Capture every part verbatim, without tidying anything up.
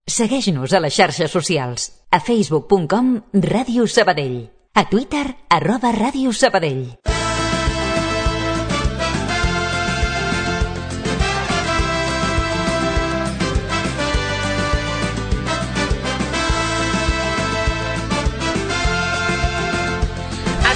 Segueix-nos a les xarxes socials. A facebook punt com Ràdio Sabadell. A Twitter, arroba Ràdio Sabadell.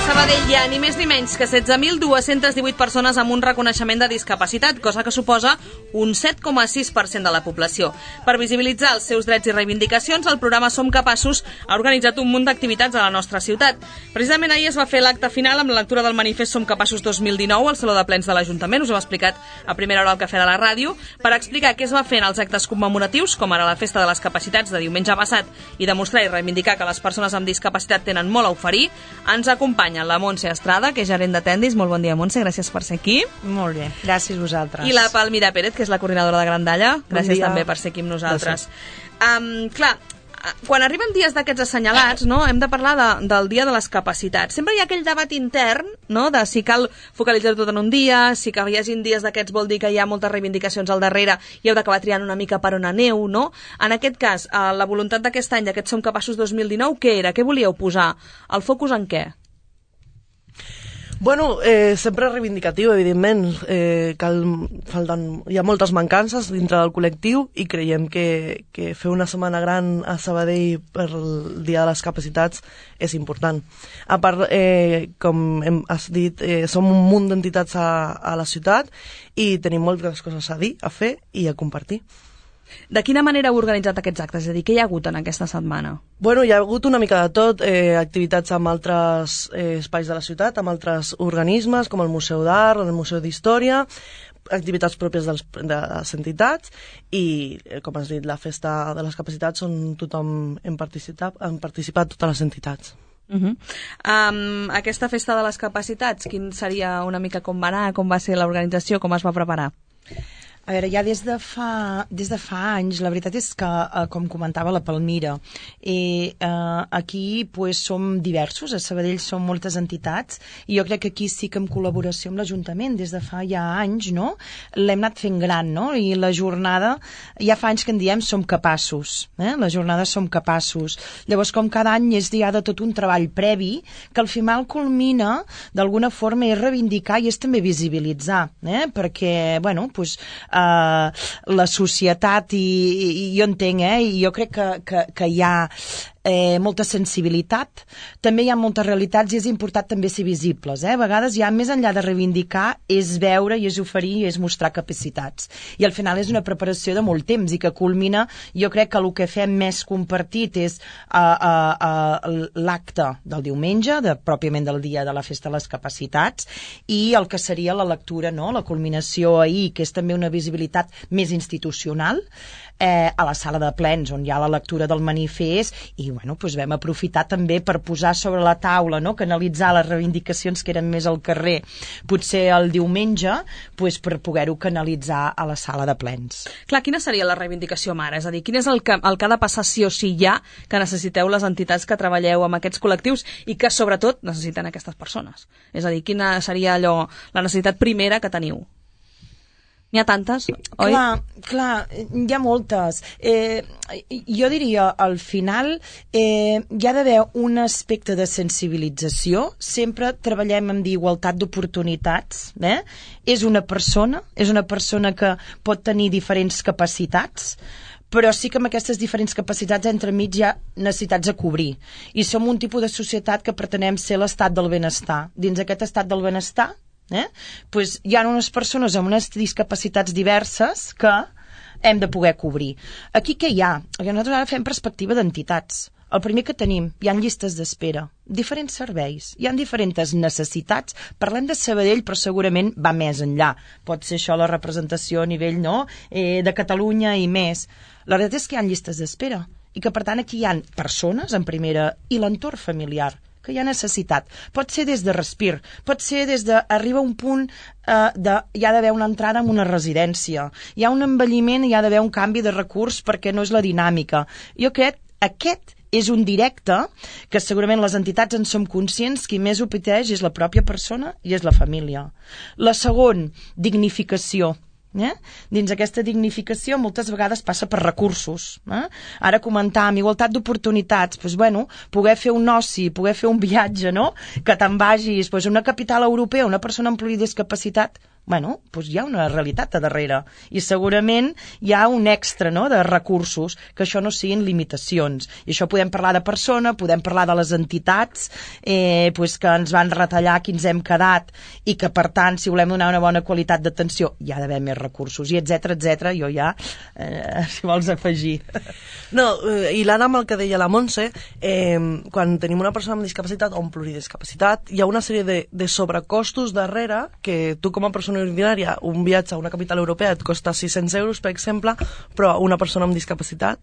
Sabadell hi ha ni més ni menys que setze mil dos-centes divuit persones amb un reconeixement de discapacitat, cosa que suposa un set coma sis per cent de la població. Per visibilitzar els seus drets i reivindicacions, el programa Som Capaços ha organitzat un munt d'activitats a la nostra ciutat. Precisament ahir es va fer l'acte final amb la lectura del manifest Som Capaços dos mil dinou al Saló de Plens de l'Ajuntament, us ho hem explicat a primera hora al Cafè de la Ràdio, per explicar què es va fer en els actes commemoratius, com ara la Festa de les Capacitats de diumenge passat, i demostrar i reivindicar que les persones amb discapacitat tenen molt a oferir. Ens acompanya la Montse Estrada, que és gerent de Tendis. Molt bon dia, Montse, gràcies per ser aquí. Molt bé, gràcies vosaltres. I la Palmira Pérez, que és la coordinadora de Grandalla. Gràcies també per ser aquí amb nosaltres. Um, clar, quan arriben dies d'aquests assenyalats, no, hem de parlar de, del dia de les capacitats. Sempre hi ha aquell debat intern, no, de si cal focalitzar tot en un dia, si que hi hagi dies d'aquests vol dir que hi ha moltes reivindicacions al darrere i heu d'acabar triant una mica per on aneu, no? En aquest cas, la voluntat d'aquest any, d'aquest Som Capaços dos mil dinou, què era? Què volíeu posar? El focus en què? Bueno, eh, sempre reivindicatiu, evidentment. Eh, cal, falten, hi ha moltes mancances dintre del col·lectiu i creiem que, que fer una setmana gran a Sabadell per el Dia de les Capacitats és important. A part, eh, com hem, has dit, eh, som un munt d'entitats a, a la ciutat i tenim moltes coses a dir, a fer i a compartir. De quina manera heu organitzat aquests actes? És a dir, què hi ha hagut en aquesta setmana? Bueno, hi ha hagut una mica de tot, eh, activitats amb altres eh, espais de la ciutat, amb altres organismes, com el Museu d'Art, el Museu d'Història, activitats pròpies dels, de les entitats i, eh, com has dit, la Festa de les Capacitats on tothom hem participat, han participat totes les entitats. Uh-huh. um, aquesta Festa de les Capacitats, quin seria una mica com va anar, com va ser l'organització, com es va preparar? A veure, ja des de fa, des de fa anys, la veritat és que, eh, com comentava la Palmira, eh, eh, aquí pues, som diversos, a Sabadell som moltes entitats, i jo crec que aquí sí que en col·laboració amb l'Ajuntament, des de fa ja anys, no? L'hem anat fent gran, no? I la jornada, ja fa anys que en diem Som Capaços, eh? La jornada Som Capaços. Llavors, com cada any és ja de tot un treball previ, que al final culmina, d'alguna forma, és reivindicar i és també visibilitzar, eh? Perquè, bueno, pues, Uh, la societat i, i jo entenc, eh, i jo crec que, que, que hi ha eh, molta sensibilitat, també hi ha moltes realitats i és important també ser visibles, eh? A vegades ja més enllà de reivindicar és veure i és oferir i és mostrar capacitats, i al final és una preparació de molt temps i que culmina, jo crec que el que fem més compartit és uh, uh, uh, l'acte del diumenge, de, pròpiament del dia de la Festa de les Capacitats, i el que seria la lectura, no? La culminació ahir, que és també una visibilitat més institucional, eh, a la sala de plens on hi ha la lectura del manifest, i bueno, doncs vam aprofitar també per posar sobre la taula, no? Canalitzar les reivindicacions que eren més al carrer potser el diumenge, doncs per poder-ho canalitzar a la sala de plens. Clar, quina seria la reivindicació mare? És a dir, quin és el que, el que ha de passar sí o sí ja que necessiteu les entitats que treballeu amb aquests col·lectius i que sobretot necessiten aquestes persones? És a dir, quina seria allò, la necessitat primera que teniu? N'hi ha tantes, oi? Clar, clar, hi ha moltes. Eh, jo diria, al final, eh, hi ha d'haver un aspecte de sensibilització. Sempre treballem amb igualtat d'oportunitats. Eh? És una persona, és una persona que pot tenir diferents capacitats, però sí que amb aquestes diferents capacitats entremig hi ha necessitats a cobrir. I som un tipus de societat que pretenem ser l'estat del benestar. Dins aquest estat del benestar, Eh? Pues hi ha unes persones amb unes discapacitats diverses que hem de poder cobrir. Aquí què hi ha? Nosaltres ara fem perspectiva d'entitats. El primer que tenim, hi ha llistes d'espera, diferents serveis, hi ha diferents necessitats. Parlem de Sabadell, però segurament va més enllà. Pot ser això la representació a nivell, no? eh, de Catalunya i més. La veritat és que hi ha llistes d'espera i que per tant aquí hi ha persones en primera i l'entorn familiar que hi ha necessitat. Pot ser des de respir, pot ser des de... Arriba un punt eh, de... Hi ha d'haver una entrada en una residència. Hi ha un envelliment i hi ha d'haver un canvi de recurs perquè no és la dinàmica. Jo crec que aquest és un directe que segurament les entitats en som conscients, qui més ho pateix és la pròpia persona i és la família. La segon, dignificació. Eh? Dins aquesta dignificació moltes vegades passa per recursos. Eh? Ara comentàvem igualtat d'oportunitats, doncs, bueno, poder fer un oci, poder fer un viatge, no? Que te'n vagis doncs, a una capital europea, una persona amb pluridiscapacitat, bueno, doncs hi ha una realitat a darrere i segurament hi ha un extra, no?, de recursos, que això no siguin limitacions. I això podem parlar de persona, podem parlar de les entitats eh, doncs que ens van retallar, qui ens hem quedat i que per tant si volem donar una bona qualitat d'atenció hi ha d'haver més recursos i etcètera, etcètera. Jo ja, eh, si vols afegir. No, eh, i l'Anna amb el que deia la Montse, eh, quan tenim una persona amb discapacitat o amb pluridiscapacitat hi ha una sèrie de, de sobrecostos darrere que tu com a persona ordinària, un viatge a una capital europea et costa sis-cents euros, per exemple, però a una persona amb discapacitat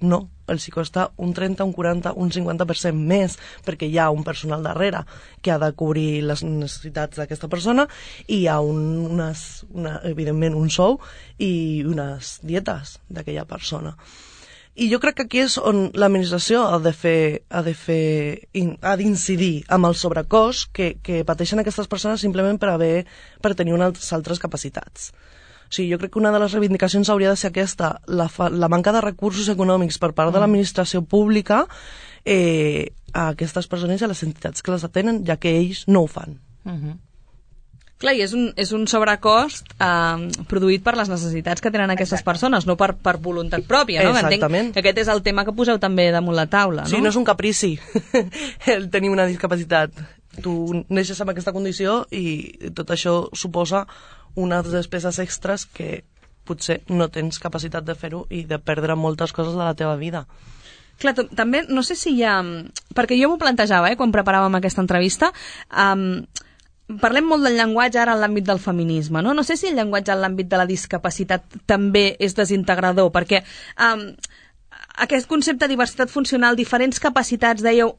no, els hi costa un trenta, un quaranta, un cinquanta per cent més, perquè hi ha un personal darrere que ha de cobrir les necessitats d'aquesta persona i hi ha un, unes, una, evidentment un sou i unes dietes d'aquella persona. I jo crec que aquí és on l'administració ha de fer, ha de fer, ha d'incidir amb el sobrecost que, que pateixen aquestes persones simplement per haver, per tenir unes altres capacitats. O sigui, jo crec que una de les reivindicacions hauria de ser aquesta, la, fa, la manca de recursos econòmics per part de l'administració pública eh, a aquestes persones i a les entitats que les atenen, ja que ells no ho fan. Uh-huh. Clar, i és un, és un sobrecost eh, produït per les necessitats que tenen aquestes Exacte. persones, no per, per voluntat pròpia, no? Exactament. Entenc que aquest és el tema que poseu també damunt la taula, no? Sí, no és un caprici el tenir una discapacitat. Tu neixes amb aquesta condició i tot això suposa unes despeses extres que potser no tens capacitat de fer-ho i de perdre moltes coses de la teva vida. Clar, també, no sé si hi ha... Perquè jo m'ho plantejava, eh, quan preparàvem aquesta entrevista, um, parlem molt del llenguatge ara en l'àmbit del feminisme, no? No sé si el llenguatge en l'àmbit de la discapacitat també és desintegrador, perquè um, aquest concepte de diversitat funcional, diferents capacitats, dèieu,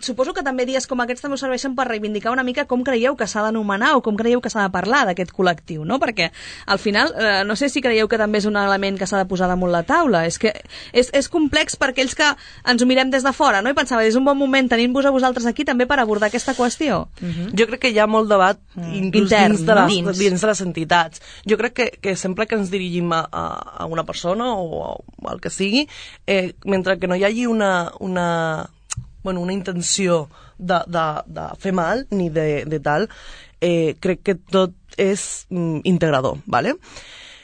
suposo que també dies com aquests també us serveixen per reivindicar una mica com creieu que s'ha d'anomenar o com creieu que s'ha de parlar d'aquest col·lectiu, no? Perquè al final, eh, no sé si creieu que també és un element que s'ha de posar damunt la taula, és que és, és complex per aquells que ens ho mirem des de fora, no? I pensava, és un bon moment tenint-vos a vosaltres aquí també per abordar aquesta qüestió. Uh-huh. Jo crec que hi ha molt debat mm. inclús Intern, dins, de les, dins. dins de les entitats. Jo crec que, que sempre que ens dirigim a, a una persona o a, a el que sigui, eh, mentre que no hi hagi una, una, bueno, una intenció de, de, de fer mal ni de, de tal, eh, crec que tot és mm, integrador, ¿vale?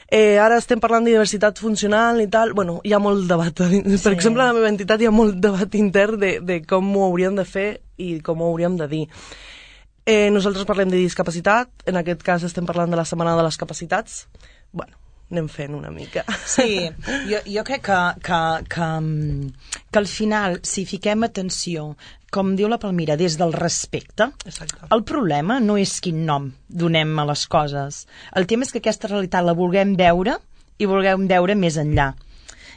Eh, ara estem parlant de diversitat funcional i tal, bueno, hi ha molt debat. Per sí. exemple, a la meva entitat hi ha molt debat intern de, de com ho hauríem de fer i com ho hauríem de dir. Eh, nosaltres parlem de discapacitat, en aquest cas estem parlant de la Setmana de les Capacitats. Bueno, anem fent una mica. Sí, jo, jo crec que, que, que, que al final, si fiquem atenció, com diu la Palmira, des del respecte, Exacte. El problema no és quin nom donem a les coses. El tema és que aquesta realitat la vulguem veure i vulguem veure més enllà.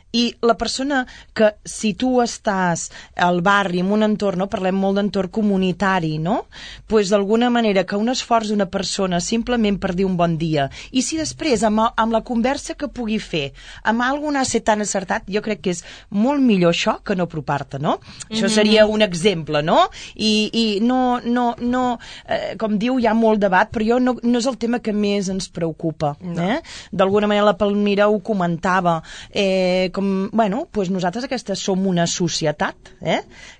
I la persona que, si tu estàs al barri, en un entorn, no? Parlem molt d'entorn comunitari, no? Pues d'alguna manera que un esforç d'una persona simplement per dir un bon dia, i si després amb, amb la conversa que pugui fer, amb algun ser tan acertat, jo crec que és molt millor això que no apropar-te, no? Mm-hmm. Això seria un exemple, no? I, i no, no, no eh, com diu, hi ha molt debat, però jo no, no és el tema que més ens preocupa, no. eh? D'alguna manera la Palmira ho comentava, eh, com, bueno, doncs nosaltres aquesta som una societat eh,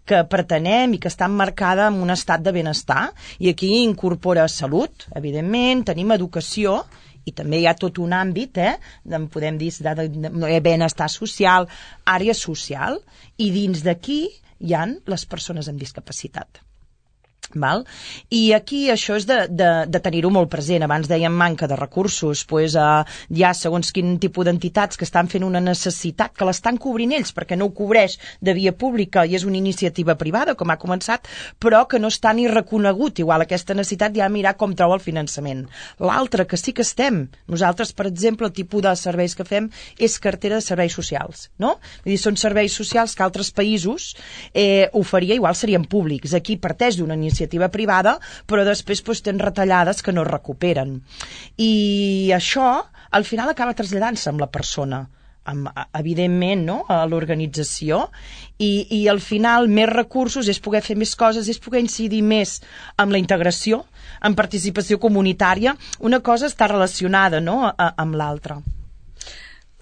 que pretenem i que està emmarcada en un estat de benestar i aquí incorpora salut, evidentment, tenim educació i també hi ha tot un àmbit, eh, de, podem dir, de, de, de benestar social, àrea social, i dins d'aquí hi han les persones amb discapacitat. Val? I aquí això és de, de, de tenir-ho molt present. Abans dèiem manca de recursos, pues, uh, hi ha segons quin tipus d'entitats que estan fent una necessitat, que l'estan cobrint ells perquè no ho cobreix de via pública i és una iniciativa privada, com ha començat, però que no està ni reconegut igual aquesta necessitat, ja mirar com troba el finançament. L'altre que sí que estem, nosaltres per exemple el tipus de serveis que fem és cartera de serveis socials, no? Vull dir, són serveis socials que altres països eh, oferia, igual serien públics, aquí parteix d'una iniciativa iniciativa privada, però després pues, tens retallades que no es recuperen. I això, al final, acaba traslladant-se amb la persona. amb, evidentment, no? A l'organització, i, i al final més recursos és poder fer més coses, és poder incidir més amb la integració, en participació comunitària. Una cosa està relacionada, no?, a, amb l'altra.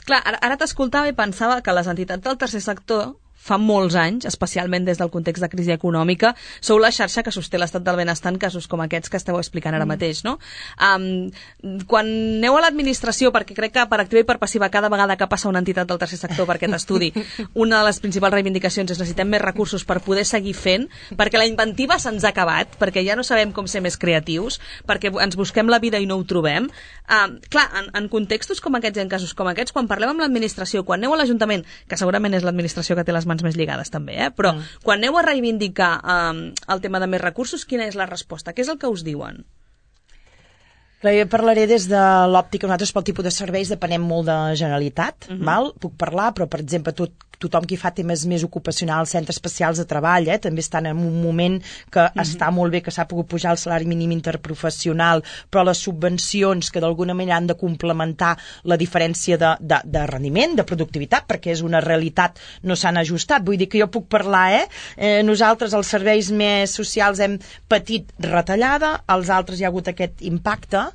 Clar, ara, ara t'escoltava i pensava que les entitats del tercer sector fa molts anys, especialment des del context de crisi econòmica, sou la xarxa que sosté l'estat del benestar en casos com aquests que esteu explicant ara mateix, no? Um, quan aneu a l'administració, perquè crec que per activa i per passiva cada vegada que passa una entitat del tercer sector per aquest estudi, una de les principals reivindicacions és necessitem més recursos per poder seguir fent, perquè la inventiva se'ns ha acabat, perquè ja no sabem com ser més creatius, perquè ens busquem la vida i no ho trobem. Um, clar, en, en contextos com aquests i en casos com aquests, quan parlem amb l'administració, quan aneu a l'Ajuntament, que segurament és l'administració que té les mans més lligades també, eh? Però mm. quan aneu a reivindicar um, el tema de més recursos, quina és la resposta? Què és el que us diuen? Clar, jo parlaré des de l'òptica, nosaltres pel tipus de serveis depenem molt de Generalitat, mm-hmm. val? Puc parlar, però per exemple tot, tothom qui fa temes més ocupacionals, centres especials de treball, eh? També estan en un moment que mm-hmm. està molt bé que s'ha pogut pujar el salari mínim interprofessional, però les subvencions que d'alguna manera han de complementar la diferència de, de, de rendiment, de productivitat, perquè és una realitat, no s'han ajustat. Vull dir que jo puc parlar, eh? eh nosaltres els serveis més socials hem patit retallada, als altres hi ha hagut aquest impacte.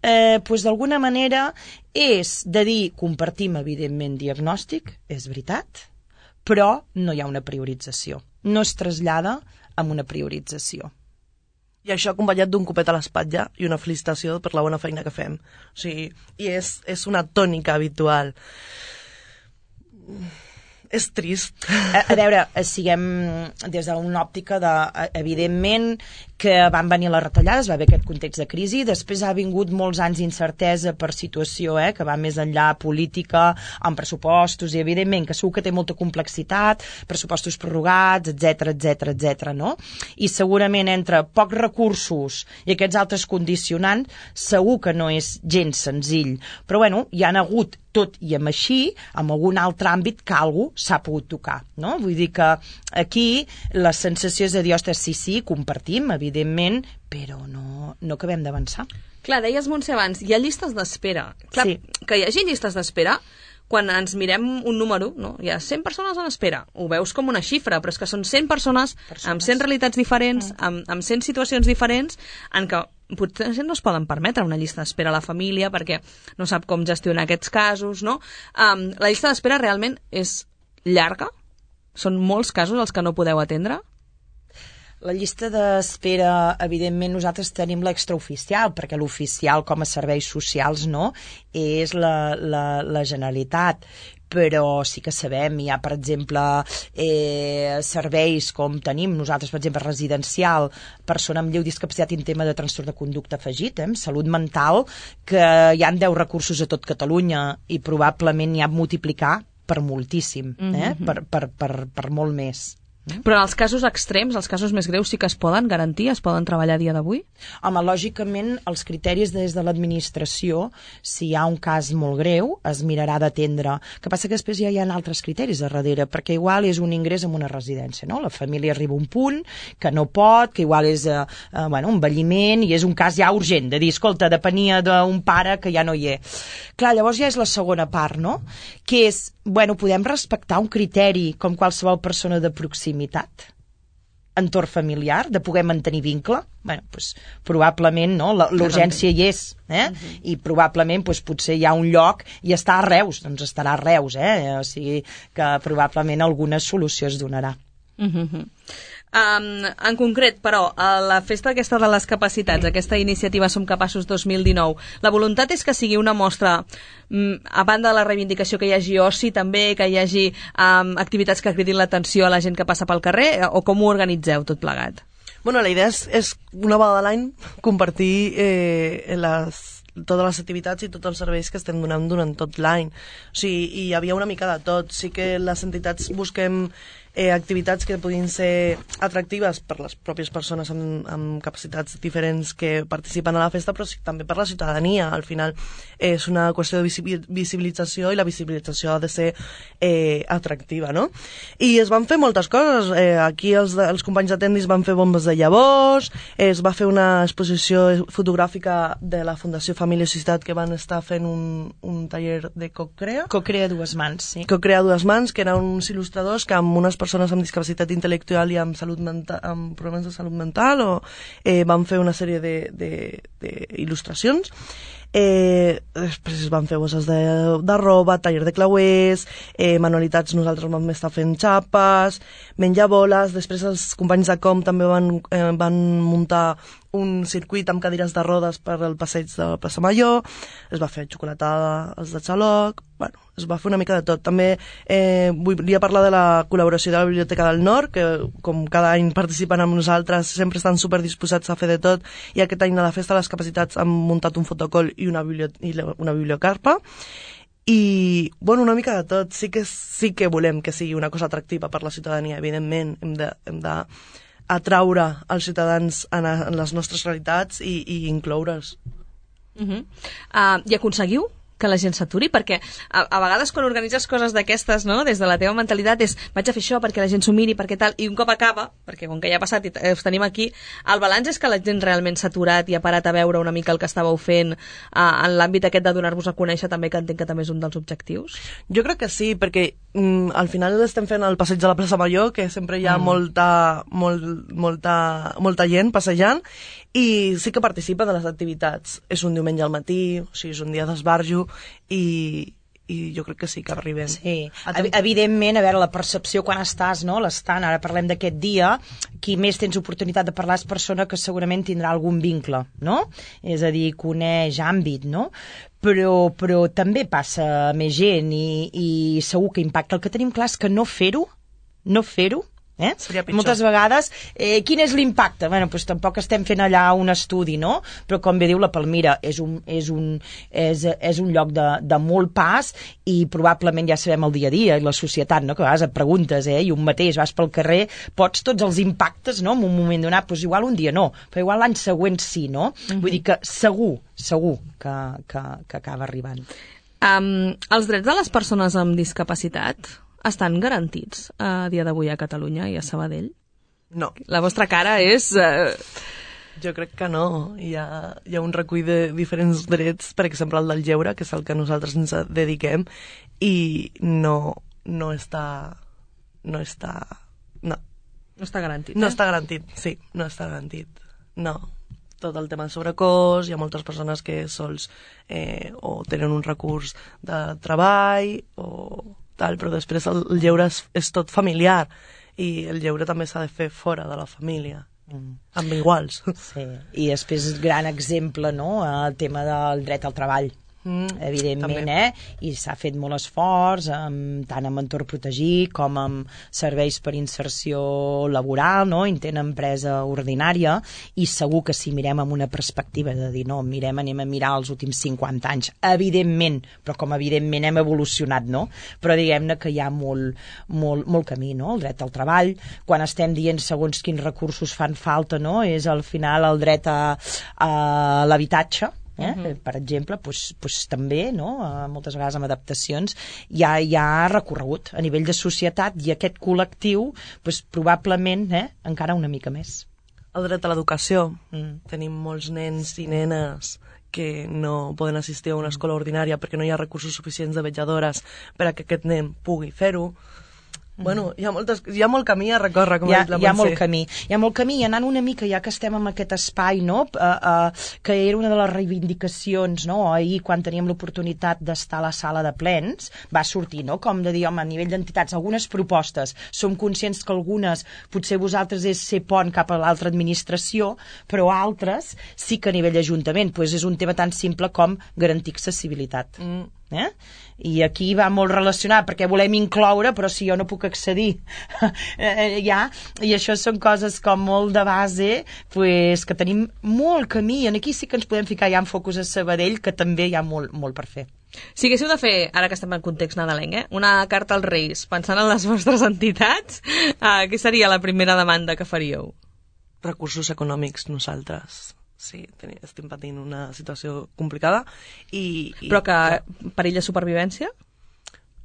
Eh, doncs d'alguna manera és de dir, compartim evidentment diagnòstic, és veritat, però no hi ha una priorització, no es trasllada amb una priorització. I això acompanyat d'un copet a l'espatlla i una felicitació per la bona feina que fem. O sigui, i és, és una tònica habitual. És trist. A, a veure, siguem des d'una òptica de, evidentment, que van venir les retallades, va haver aquest context de crisi, després ha vingut molts anys d'incertesa per situació, eh, que va més enllà política, amb pressupostos, i evidentment que segur que té molta complexitat, pressupostos prorrogats, etcètera, etcètera, etcètera, no? I segurament entre pocs recursos i aquests altres condicionants, segur que no és gens senzill. Però bueno, hi han hagut, tot i amb així, en algun altre àmbit que algú s'ha pogut tocar, no? Vull dir que aquí la sensació és de dir, ostres, sí, sí, compartim, evidentment, però no, no acabem d'avançar. Clar, deies, Montse, abans, hi ha llistes d'espera. Clar, sí. Que hi hagi llistes d'espera, quan ens mirem un número, no? Hi ha cent persones en espera, ho veus com una xifra, però és que són cent persones, persones. amb cent realitats diferents, mm. amb, amb cent situacions diferents, en què potser no es poden permetre una llista d'espera a la família perquè no sap com gestionar aquests casos, no? Um, la llista d'espera realment és llarga? Són molts casos els que no podeu atendre? La llista d'espera, evidentment, nosaltres tenim l'extraoficial, perquè l'oficial com a serveis socials no, és la, la, la Generalitat. Però sí que sabem, hi ha, per exemple, eh, serveis com tenim nosaltres, per exemple, residencial, persona amb lleu discapacitat i en tema de trastorn de conducta afegit, eh, salut mental, que hi ha deu recursos a tot Catalunya i probablement n'hi ha a multiplicar per moltíssim, eh, mm-hmm. per, per, per, per molt més. Però en els casos extrems, els casos més greus, sí que es poden garantir, es poden treballar a dia d'avui? Home, lògicament, els criteris des de l'administració, si hi ha un cas molt greu, es mirarà d'atendre. El que passa que després ja hi ha altres criteris a darrere, perquè igual és un ingrés en una residència, no? La família arriba a un punt que no pot, que igual és eh, eh, bueno, un envelliment i és un cas ja urgent, de dir, escolta, depenia d'un pare que ja no hi és. Clar, llavors ja és la segona part, no? Que és, bueno, podem respectar un criteri com qualsevol persona de proximitat, entorn familiar, de poder mantenir vincle. Bueno, doncs, probablement no, l'urgència hi és, eh? Uh-huh. I probablement doncs, potser hi ha un lloc i està a Reus, doncs estarà a Reus, eh? O sigui que probablement alguna solució es donarà. Uh-huh. Um, en concret, però, a la festa aquesta de les capacitats, aquesta iniciativa Som Capaços dos mil dinou, la voluntat és que sigui una mostra, um, a banda de la reivindicació, que hi hagi oci també, que hi hagi um, activitats que cridin l'atenció a la gent que passa pel carrer, o com ho organitzeu tot plegat? Bueno, la idea és, és una vegada a l'any compartir eh, les totes les activitats i tots els serveis que estem donant durant tot l'any. O sigui, hi havia una mica de tot. Sí que les entitats busquem eh, activitats que puguin ser atractives per les pròpies persones amb, amb capacitats diferents que participen a la festa, però sí, també per la ciutadania. Al final és una qüestió de visibilització, i la visibilització ha de ser eh, atractiva, no? I es van fer moltes coses. Eh, aquí els, els companys de Tendis van fer bombes de llavors, eh, es va fer una exposició fotogràfica de la Fundació Família i Societat, que van estar fent un, un taller de Cocrea. Cocrea a dues mans, sí. Cocrea a dues mans, que eren uns il·lustradors que amb unes persones amb discapacitat intel·lectual i amb, salut mental, amb problemes de salut mental o, eh, van fer una sèrie d'il·lustracions. Eh, després van fer bosses de, de roba, taller de clauers, eh, manualitats. Nosaltres vam estar fent xapes, menjar boles. Després els companys de Com també van, eh, van muntar un circuit amb cadires de rodes per al passeig de la plaça Major. Es va fer xocolatada als de Xaloc. Bueno, es va fer una mica de tot. També eh, volia parlar de la col·laboració de la Biblioteca del Nord, que com cada any participen amb nosaltres, sempre estan superdisposats a fer de tot, i aquest any a la Festa de les Capacitats han muntat un fotocol i una, biblio i una bibliocarpa. I, bueno, una mica de tot. Sí que, sí que volem que sigui una cosa atractiva per la ciutadania, evidentment. Hem de, hem de atraure els ciutadans en, a, en les nostres realitats i, i incloure's. Uh -huh. uh, I aconseguiu que la gent s'aturi? Perquè a, a vegades quan organitzes coses d'aquestes, no?, des de la teva mentalitat és vaig a fer això perquè la gent s'ho miri, perquè tal, i un cop acaba, perquè com que ja ha passat i us tenim aquí, el balanç és que la gent realment s'ha aturat i ha parat a veure una mica el que estàveu fent uh, en l'àmbit aquest de donar-vos a conèixer, també, que entenc que també és un dels objectius. Jo crec que sí, perquè mm, al final estem fent el passeig de la plaça Major, que sempre hi ha mm. molta, molt, molta, molta gent passejant, i sí que participa de les activitats. És un diumenge al matí, o sigui, és un dia d'esbarjo, i, i jo crec que sí que arribem. Sí, evidentment, a veure, la percepció quan estàs, no?, l'estant, ara parlem d'aquest dia, qui més tens oportunitat de parlar és persona que segurament tindrà algun vincle, no? És a dir, coneix àmbit, no? Però, però també passa més gent i, i segur que impacta. El que tenim clar és que no fer-ho, no fer-ho, Eh? moltes vegades, eh, quin és l'impacte? Bueno, doncs tampoc estem fent allà un estudi, no? Però com bé diu la Palmira, és un, és un, és, és un lloc de, de molt pas, i probablement ja sabem el dia a dia i la societat, no?, que a vegades et preguntes, eh, i un mateix vas pel carrer, pots tots els impactes, no?, en un moment donat, doncs igual un dia no, però igual l'any següent sí, no? Mm-hmm. Vull dir que segur, segur que, que, que acaba arribant. Um, els drets de les persones amb discapacitat estan garantits a dia d'avui a Catalunya i a Sabadell? No. La vostra cara és... Uh... Jo crec que no. Hi ha, hi ha un recull de diferents drets, per exemple el del lleure, que és el que nosaltres ens dediquem, i no, no està... No està... No. No està garantit, eh? No està garantit, sí, no està garantit. No. Tot el tema de sobrecost, hi ha moltes persones que sols eh, o tenen un recurs de treball o... tal, però després el lleure és, és tot familiar, i el lleure també s'ha de fer fora de la família, mm. amb iguals. Sí. I després, gran exemple, no?, el tema del dret al treball. Mm, evidentment, també. eh? I s'ha fet molt esforç, amb, tant amb entorn protegit com amb serveis per inserció laboral, no?, intent empresa ordinària, i segur que si mirem amb una perspectiva de dir, no, mirem, anem a mirar els últims cinquanta anys, evidentment, però com evidentment hem evolucionat, no? Però diguem-ne que hi ha molt, molt, molt camí, no?, el dret al treball, quan estem dient segons quins recursos fan falta, no?, és al final el dret a, a l'habitatge, Eh? Uh-huh. Per exemple, pues, pues també, no?, moltes vegades amb adaptacions hi ha, hi ha recorregut a nivell de societat, i aquest col·lectiu pues, probablement eh, encara una mica més. El dret a l'educació. Mm. Tenim molts nens i nenes que no poden assistir a una escola ordinària perquè no hi ha recursos suficients de vetlladores per a que aquest nen pugui fer-ho. Bueno, hi ha, moltes, hi ha molt camí a recórrer, com ha dit la Montse. Hi ha molt camí. Hi ha molt camí, i anant una mica, ja que estem en aquest espai, no?, uh, uh, que era una de les reivindicacions, no?, ahir quan teníem l'oportunitat d'estar a la sala de plens, va sortir, no?, com de dir, home, a nivell d'entitats, algunes propostes, som conscients que algunes, potser vosaltres és ser pont cap a l'altra administració, però altres sí que a nivell d'Ajuntament, pues és un tema tan simple com garantir accessibilitat. Mm. Eh? I aquí va molt relacionat perquè volem incloure, però si jo no puc accedir eh, ja, i això són coses com molt de base, pues, que tenim molt camí, i aquí sí que ens podem ficar ja en focus a Sabadell, que també hi ha molt, molt per fer. Si haguéssiu de fer, ara que estem en context nadalenc, eh, una carta als Reis, pensant en les vostres entitats, eh, què seria la primera demanda que faríeu? Recursos econòmics, nosaltres. Sí, ten- estem patint una situació complicada i... i Però que perill de supervivència?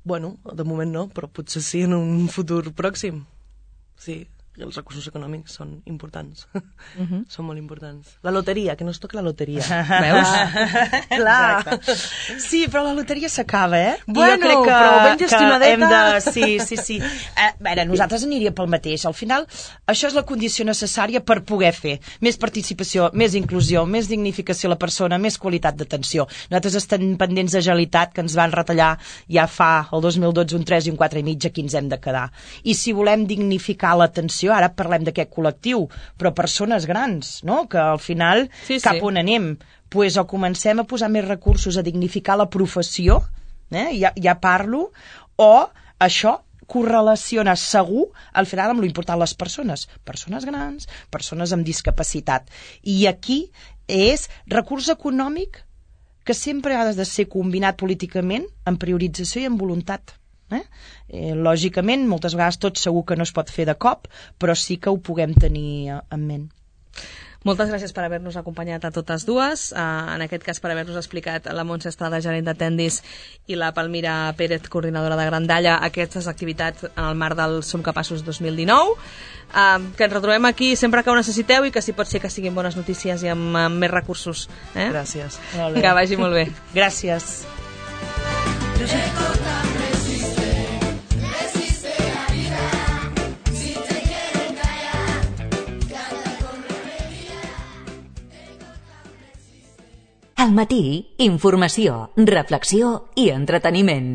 Bueno, de moment no, però potser sí en un futur pròxim. Sí, els recursos econòmics són importants. Uh-huh. Són molt importants. La loteria, que no es toqui la loteria. Veus? Clar. Sí, però la loteria s'acaba, eh? I Bueno, jo crec que, però ben que gestionadeta. hem de... Sí, sí, sí. Eh, a veure, nosaltres aniríem pel mateix. Al final, això és la condició necessària per poder fer més participació, més inclusió, més dignificació a la persona, més qualitat d'atenció. Nosaltres estem pendents de agilitat, que ens van retallar ja fa el dos mil dotze un tres i un quatre i mig, aquí ens hem de quedar. I si volem dignificar l'atenció, ara parlem d'aquest col·lectiu, però persones grans, no? Que al final, Sí, sí. cap on anem? Pues o comencem a posar més recursos a dignificar la professió, eh? ja, ja parlo, o això correlaciona segur al final amb l'important les persones, persones grans, persones amb discapacitat. I aquí és recurs econòmic que sempre ha de ser combinat políticament amb priorització i amb voluntat. Eh? Eh, lògicament, moltes vegades tot segur que no es pot fer de cop, però sí que ho puguem tenir en ment. Moltes gràcies per haver-nos acompanyat a totes dues, uh, en aquest cas per haver-nos explicat la Montse Estrada, gerent de Tendis, i la Palmira Pérez, coordinadora de Grandalla, aquestes activitats en el marc del Som Capaços dos mil dinou. Uh, que ens retrobem aquí sempre que ho necessiteu i que si pot ser que siguin bones notícies i amb, amb més recursos. Eh? Gràcies. Que vagi molt bé. Gràcies. Al matí, informació, reflexió i entreteniment.